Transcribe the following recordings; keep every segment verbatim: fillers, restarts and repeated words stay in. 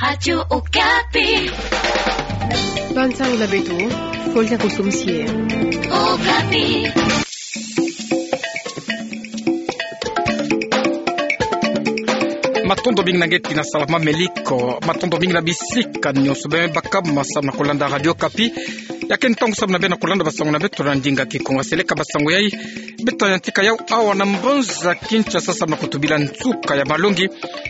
Radio Okapi. Bansang na beto, Folja Kusumsie. Okapi. Matondo mingi na ngetina sala mameliko, matondo mingi na bisika nyonso bê bakama samu na kulanda Radio Okapi. Ya ke ntangu samu na bê na kulanda basango na beto na ndinga Kikongo. Seleka basango yai, beta yantika yau awa na mbanza Kinshasa samu na kutubila nsuka ya malongi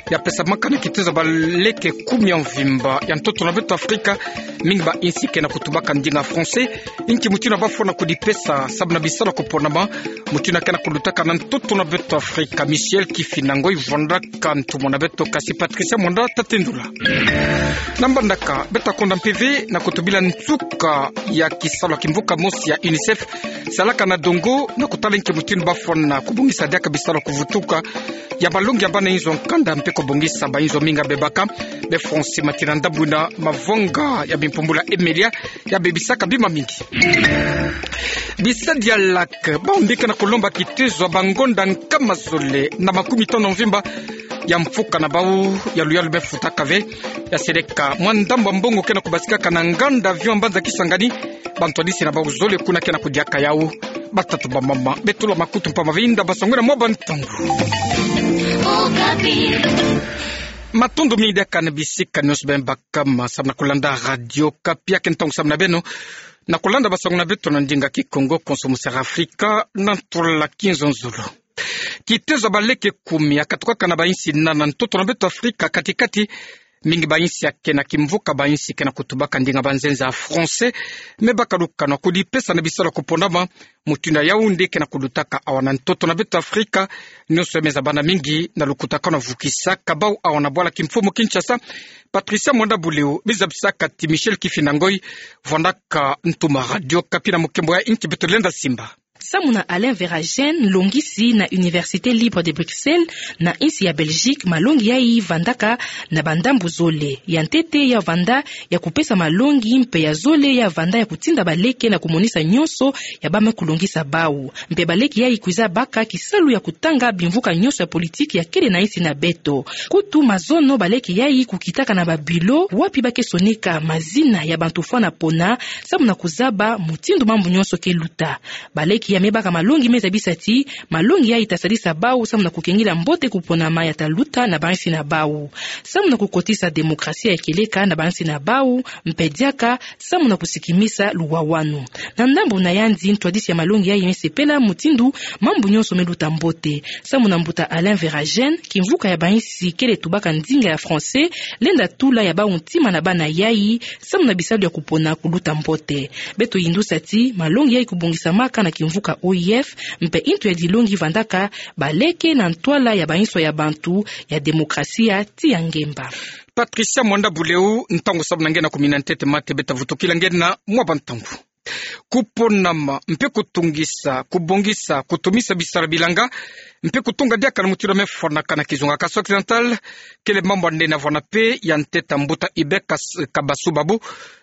ya pesamaka na kitezo ya baleke kumi ya mvimba ya ntoto na beto Afrika, mingi ba insi ke na kutubaka ndinga français, inki mutindu bafwana kudipesa samu na bisalu ya kuponama, mutindu ke na kulutaka na ntoto na beto Afrika. Michel Kifinangoi vwandaka ntumwa na beto, kasi Patricia Mwanda ta tendula. Na mbandaka, beta konda mpe ve na kutubila nsuka ya kisalu ya kimvuka mosi ya UNICEF salaka na dongo, na kutala inki mutindu bafwana kubongisa diaka bisalu ya kuvutuka ya malongi ya bana inzo ya nkanda mpe kubongisa ba inzo mingi ya bebaka, be fonse matina ndambu na mavonga ya bimpumbula emelia ya bebisaka bima mingi. Bisadi ya LAC, bau mbi ke na kulomba kitezo ya bangonda nkama zole na makumi tanu mvimba ya mfuka na bau ya luyalu bê futaka ve, ya seleka mwa ndambu ya mbongo ke na kubasikaka na nganda avion ya mbanza Kisangani, bantwadisi na bau zole kuna ke na kudiaka yau. Batata, bamama, betula makutu mpamba, vwinda basango na mwa bantangu. Matondo mingi diaka na bisika nyonso bê bakama samu na kulanda Radio Okapi. Ya ke ntangu samu na beno na kulanda basango na beto na ndinga Kikongo, konso mu Sera Afrika, na ntwala ya kinzonzolo. Kitezo ya baleke kumi ya katukaka na ba insi nana na ntoto na beto Afrika kati-kati, mingi ba insi ya ke na kimvuka, ba insi ke na kutubaka ndinga banzenza ya français, me baka lukana kudipesa na bisalu ya kuponama, mutindu ya Yaoundé ke na kulutaka awa na ntoto na beto Afrika. Nyonso ya me zabana mingi na lukutakanu ya vukisaka bau awa na bwala kimfumu Kinshasa. Patricia Mwanda Buleo, bizabisaka ti Michel Kifinangoi, vwandaka ntumwa Radio Okapi, na mukembo ya inki beto lenda simba. Samu na Alain Verhagen, longisi na Université Libre de Bruxelles na insi ya Belgique, malongi yai vandaka na bandambu zole. Ya ntete ya vanda ya kupesa malongi, mpe ya zole ya vanda ya kutinda baleke na kumonisa nyonso ya bame kulongisa bau. Mpe baleke yai kwiza baka kisalu ya kutanga bimvuka nyonso ya politiki ya kele na insi na beto. Kutu mazono baleke yai kukitaka na ba bureau wapi ba ke sonika mazina ya bantu fwana pona, samu na kuzaba mutindu mambu nyonso ke luta. Baleke yai me baka malongi me zabisa ti malongi yai ta sadisa bau samu na kukengila mbote kuponama ya ta luta na ba insi na bau, samu na kukotisa demokrasia ya kieleka na ba insi na bau, mpe diaka samu na kusikimisa luwawanu. Na ndambu na yandi, ntwadisi ya malongi yai me sepela mutindu mambu nyonso me luta mbote. Samu na mbuta Alain Verhagen, kimvuka ya ba insi kele tubaka ndinga ya français lenda tula ya bau ntima na bana yai, samu na bisalu ya kupona kuluta mbote. Beto yindusa ti malongi yai kubongisamaka na kimvuka O I F, mpe ntu ya dilongi vandaka baleke na ntwala ya ba inso ya bantu, ya demokrasia ti ya ngemba. Patricia Mwanda Buleo, ntangu samu na nge na kumina ntete mate, beta vutukila nge na mwa bantangu. Kuponama, mpe kutungisa, kubongisa, kutumisa bisala bilanga, mpe kutunga diaka na mutindu me fwanaka na kizunga Kasai Occidental, kele mambu ya nene ya vwanda mpe ya ntete ya mbuta Hubert Kas-, Kabasu Babu,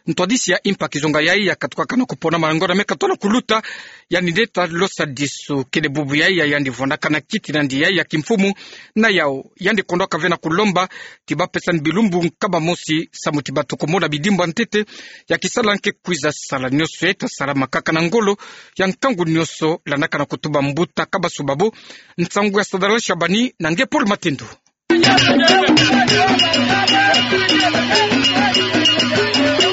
ntwadisi ya impa kizunga yai ya katukaka na kuponama na ngonda me katola kuluta. Yandi nde ta losa disu kele bubu yai ya yandi vwandaka na kiti na yandi yai ya kimfumu na yau. Yandi kondwaka ve na kulomba ti bapesani bilumbu nkama mosi samu ti batuka mona bidimbu ya ntete ya kisala nge kwiza sala. Nyonso yai ta salamaka kaka na ngolo ya nkangu nyonso, landaka na kutuba mbuta Kabasu Babu. Nsangu ya sadala shabani na nge Paul Matendo.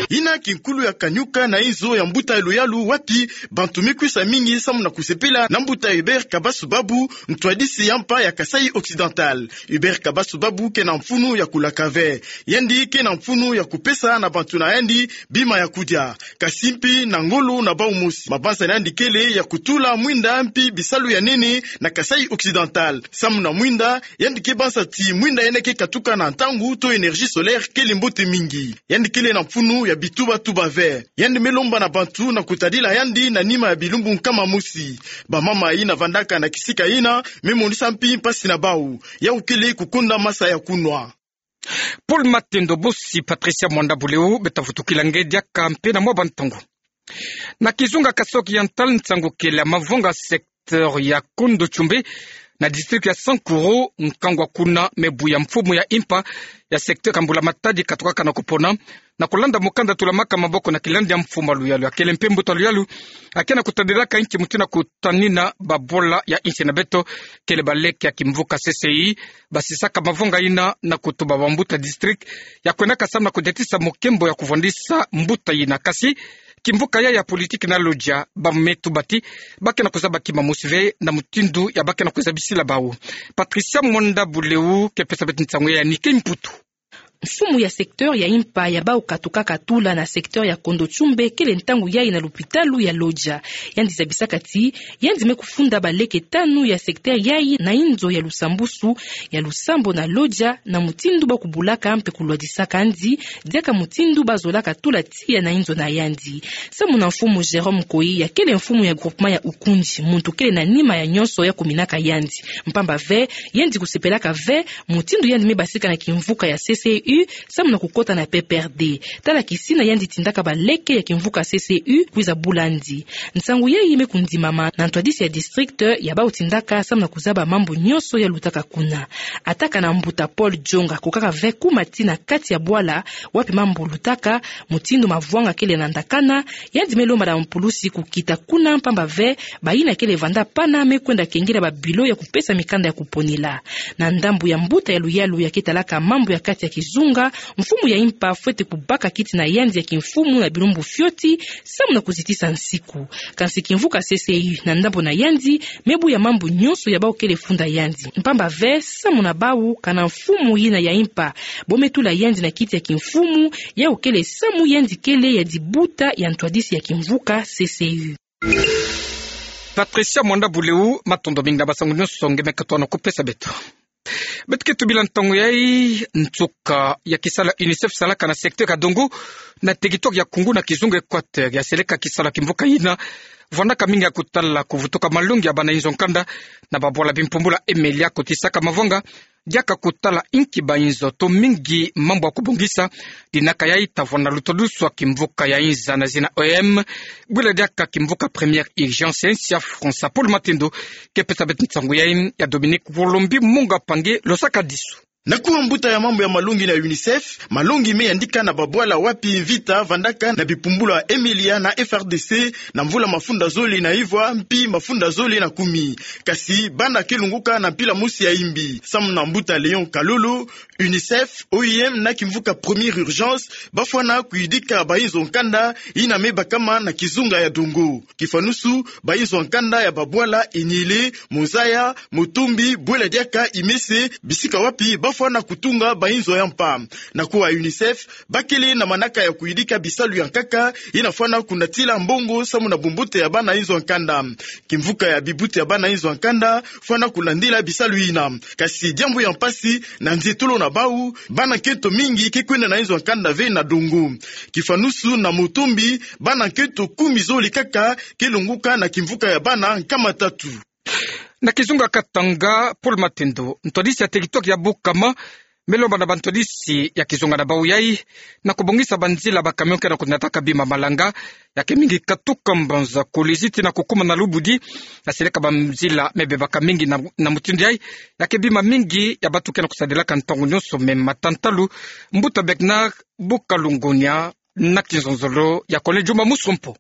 Yina kinkulu ya kanyuka na inzo ya mbuta ya luyalu, wapi bantu me kwisa mingi samu na kusepela na mbuta Hubert Kabasu Babu, ntwadisi ya mpa ya Kasai Occidental. Hubert Kabasu Babu ke na mfunu ya kulaka ve. Yandi ke na mfunu ya kupesa na bantu na yandi bima ya kudia, kasi mpi na ngolo na bau mosi. Mabanza na yandi kele ya kutula mwinda mpi bisalu ya nene na Kasai Occidental. Samu na mwinda, yandi ke banza ti mwinda yina ke katuka na ntangu to énergie solaire kele mbote mingi. Yandi kele na mfunu ya bituba-tuba ve. Yandi me lomba na bantu na kutadila yandi na nima ya bilumbu nkama mosi. Bamama yina vandaka na kisika yina me monisa mpi mpasi na bau. Yau kele kukonda masa ya kunwa. Paul Matendo, bosi Patricia Mwanda Buleo, beta vutukila nge diaka mpe na mwa bantangu. Na kizunga Kasai Occidental, nsangu kele ya mavonga secteur ya Kondo Tchumbe, na district ya Sankuru, nkangu kuna me buya mfumu ya impa ya secteur ya mbula-matadi katukaka na kupona, na kulanda mukanda tulamaka maboko na kilandi ya mfumu ya luyalu ya kele mpe mbuta luyalu, ake na kutadilaka nki mutindu ya kutanina babwala ya nsi na beto, kele baleke ya kimvuka C C U, basisaka mavanga ina na kutuba bambuta district ya kwendaka samu na kudiatisa mukembo ya kuvwandisa mbuta ina. Kasi kimvuka yayi ya politique na lodia, ba me tuba ti ba ke na kuzaba kima mosi ve na mutindu ya ba ke na kuzabisila bawu. Patricia Mwanda Buleu ke pesa beto nsangu yayi ya Nike Mputu. Mfumu ya secteur ya impa ya bawu katukaka tula na secteur ya Kondo Tchumbe kele ntangu yayi na lupitalu ya lodia. Yandi zabisaka ti yandi me kufunda baleke tanu ya secteur yayi na inzo ya lusambusu, ya lusambo na lodia, na mutindu ba kubulaka mpe kulwadisaka yandi, diaka mutindu ba zolaka tula tiya na inzo na yandi. Samu na mfumu Jérôme Koyi, ya kele mfumu ya groupement ya Ukunji, muntu kele na nima ya nyonso ya kuminaka yandi. Mpamba ve, yandi kusepelaka ve mutindu yandi me basika na kimvuka ya C C U samu na kukota na P P R D. Tala kisina yandi tindaka baleke ya kimvuka C C U kwiza bula yandi. Nsangu yayi me kundimama na ntwadisi ya district ya bawu tindaka samu na kuzaba mambu nyonso ya lutaka kuna. Ataka na mbuta Paul Djonga, kukaka ve kuma ti na kati ya bwala wapi mambu lutaka, mutindu mavwanga kele na ndakana, yandi me lomba na mpulusi kukita kuna, mpamba ve bayina kele vanda pana me kwenda kengela babilo ya kupesa mikanda ya kuponela. Na ndambu ya mbuta ya luyalu ya ke talaka mambu ya kati ya kizunga, mfumu ya impa fwete kubaka kiti na yandi ya kimfumu na bilumbu fioti, samu na kuzitisa nsiku. Kansi kimvuka C C U na ndambu na yandi me buya mambu nyonso ya bawu kele funda yandi. Mpamba ve, samu na bawu, kana mfumu yina ya impa bo me tula yandi na kiti ya kimfumu, yawu kele samu yandi kele ya dibuta ya ntwadisi ya kimvuka C C U. Patricia Mwanda Buleu, matondo mingi na bansangu nyonso nge me katuhana kupesa beto. Beto ke tubila ntangu yayi, nsuka ya kisalu ya UNICEF salaka na secteur ya Dongo, na territoire ya Koungou na kizunga Équateur, ya seleka kisalu ya kimvuka yina vwandaka mingi ya kutala kuvutuka malongi ya bana inzo ya nkanda na babwala bimpumbulu ya Emilia, kotisaka mavanga diaka kutala inki bainzo to mingi mambu ya kubongisa. Dinaka yayi ta vwanda na lutodusu ya kimvuka ya inza na zina O M, bwila diaka kimvuka première urgence ya nsi ya France. Paul Matendo ke pesa beto nsangu yayi, ya Dominique Wolombi Munga Pange losaka disu. Na kuwa mbuta ya mambu ya malongi na UNICEF, malongi me yandika na babwala wapi mvita vandaka na bipumbulu ya Emilia na F R D C na mvula mafunda zole na ivwa mpi mafunda zole na kumi. Kasi bana ke lunguka na mpila mosi ya imbi. Samu na mbuta Léon Kalolo, UNICEF, O I M na kimvuka première urgence ba fwana kuyidika bainzo ya nkanda yina me bakama na kizunga ya Dongo. Kifwanusu, bainzo ya nkanda ya babwala Eniele, Mozaya, Motombi, bwela diaka Imese, bisika wapi ba fwana kutunga bainzo ya mpa. Na kuwa UNICEF, ba kele na manaka ya kuyidika bisalu ya nkaka yina fwana kunatila mbongo samu na bumbote ya bana inzo ya nkanda. Kimvuka ya bibuta ya bana inzo ya nkanda fwana kulandila bisalu yina. Kasi diambu ya mpasi, na nzietolo na bawu, bana nkento mingi ke kwenda na inzo ya nkanda ve na Dongo. Kifwanusu na Motombi, bana nkento kumi zole kaka ke lunguka na kimvuka ya bana nkama tatu. Na kizunga Katanga, Paul Matendo, ntwadisi ya territoire ya Bukama me lomba na bantwadisi ya kizunga na bawu yayi na kubongisa banzila ba camion ke na kunataka bima malanga, ya ke mingi katuka mbanza Kolwezi tii na kukuma na Lubudi, na seleka banzila me bebaka mingi na, na mutindu yayi, ya ke bima mingi ya bantu ke na kusadilaka ntangu nyonso me mata ntalu. Mbuta Bernard Bukalungunia na kinzonzolo ya Collège Juma Musompo.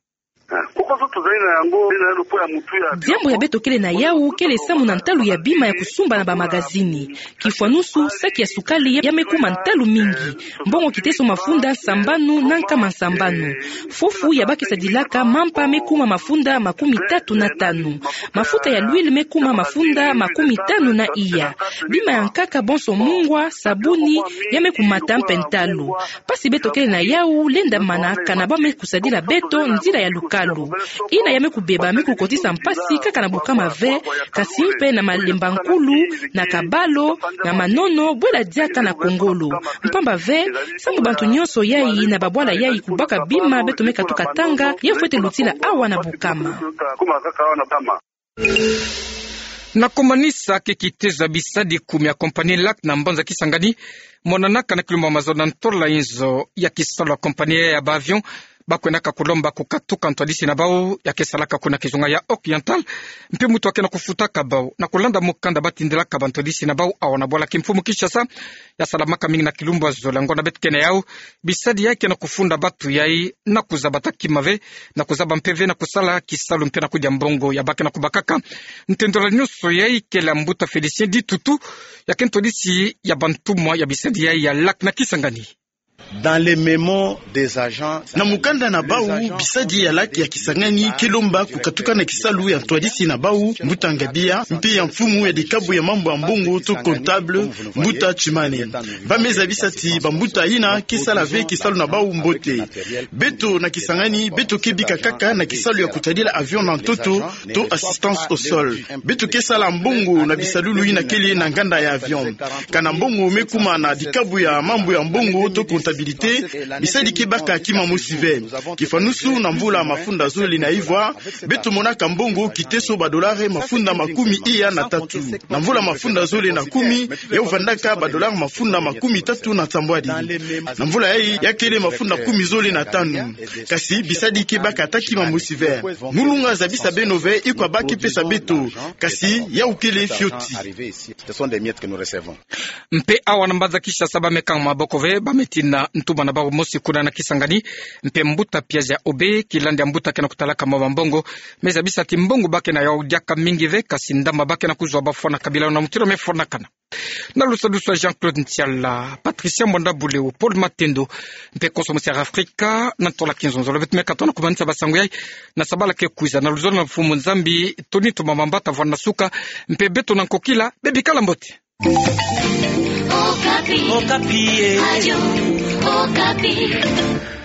Diambu ya beto kele na yawu kele samu na ntalu ya bima ya kusumba na bamagazini. Kifwanusu, saki ya sukali ya me kuma ntalu mingi, mbongo kiteso mafunda sambanu na nkama sambanu. Fufu ya ba ke sadilaka mampa me kuma mafunda makumi tatu na tanu. Mafuta ya l'huile me kuma mafunda makumi tanu na iya. Bima ya nkaka bonso mungwa, sabuni, ya me kumata mpe ntalu. Mpasi beto kele na yawu lenda mana kana ba me kusadila beto nzila ya lukalu. Yina ya me kubeba me kukotisa mpasi kaka na Bukama ve, kasi mpe na Malemba Nkulu, na Kabalo, na Manono, bwela diaka na Kongolo. Mpamba ve, samu bantu nyonso yayi na babwala yayi kubaka bima beto me katuka tanga, ya fwete lutila awa na Bukama. Na kumanisa ke kitezo ya bisadi kumi ya compagnie Lac na mbanza Kisangani, monanaka na kilumbu mazono na ntola inzo ya kisalu ya compagnie ya ba avion ba kwendaka kulomba kukatuka ntwadisi na bau ya ke salaka kuna kizunga ya Oriental, mpe mutu ake na kufutaka bau na kulanda mukanda ba tindilaka bantwadisi na bau awa na bwala kimfumu Kinshasa, ya salamaka mingi na kilumbu ya zole. Ngonda beto ke na yau, bisadi yai ke na kufunda batu yai na kuzaba taki mave, na kuzaba mpe ve na kusala kisalu mpe na kudia mbongo ya ba ke na kubakaka. Ntendolo nyonso yai kele ya mbuta Félicien Ditutu, ya ke ntwadisi ya bantumwa ya bisadi yai ya LAC na Kisangani. Dans les mémos des agents, na mukanda na bau, bisadi ya LAC ya Kisangani ke lomba kukatuka na kisalu ya ntwadisi na bau, mbuta Ngabia, mpe ya mfumu ya dikabu ya mambu ya mbongo to comptable, mbuta Chimane. Ba me zabisa ti bambuta yina ke sala ve kisalu na bau mbote. Beto na Kisangani, beto ke bika kaka na kisalu ya kutadila avion na ntoto, to assistance au sol. Beto ke sala mbongo na bisalulu yina kele na nganda ya avion. Kana mbongo me kuma na dikabu ya mambu ya mbongo to comptabilité, bisadi ke baka kima mosi ve. Kifanusu, na mvula mafunda zole na ivwa, beto monaka mbongo kiteso ba dollars mafunda makumi iya na tatu. Na mvula mafunda zole na kumi, yau vandaka ba dollars mafunda makumi tatu na nsambwadi. Na mvula yai, ya kele mafunda kumi zole na tanu. Kasi bisadi ke baka ata kima mosi ve. Ngulunga zabisa beno ve, ikwa ba ke pesa beto. Kasi yau kele fioti. Mpe awa na mbanza Kinshasa ba me kanga maboko ve, ba me tina ntuma na bau mosi kuna na Kisangani. Mpe mbuta Piazzi ya Obe, kilandi ya mbuta ke na kutalaka mwa bambongo, me zabisa ti mbongo ba ke na yau diaka mingi ve, kasi ndamba ba ke na kuzwa ba fwanaka bila na mutindo me fwanakana. Na lusadusu ya Jean-Claude Ntiala, Patricia Mwanda Buleu, Paul Matendo, mpe konso mosi ya Afrika, na ntola kinzonzolo beto me katoa na kumanisa basangu yai na sabala ke kwiza, na luzolo na Mfumu Nzambi, Tony Tumamamba ta vwanda na suka, mpe beto na nkokila, bebikala mbote. Okapi. Okapi, eh. Radio Okapi.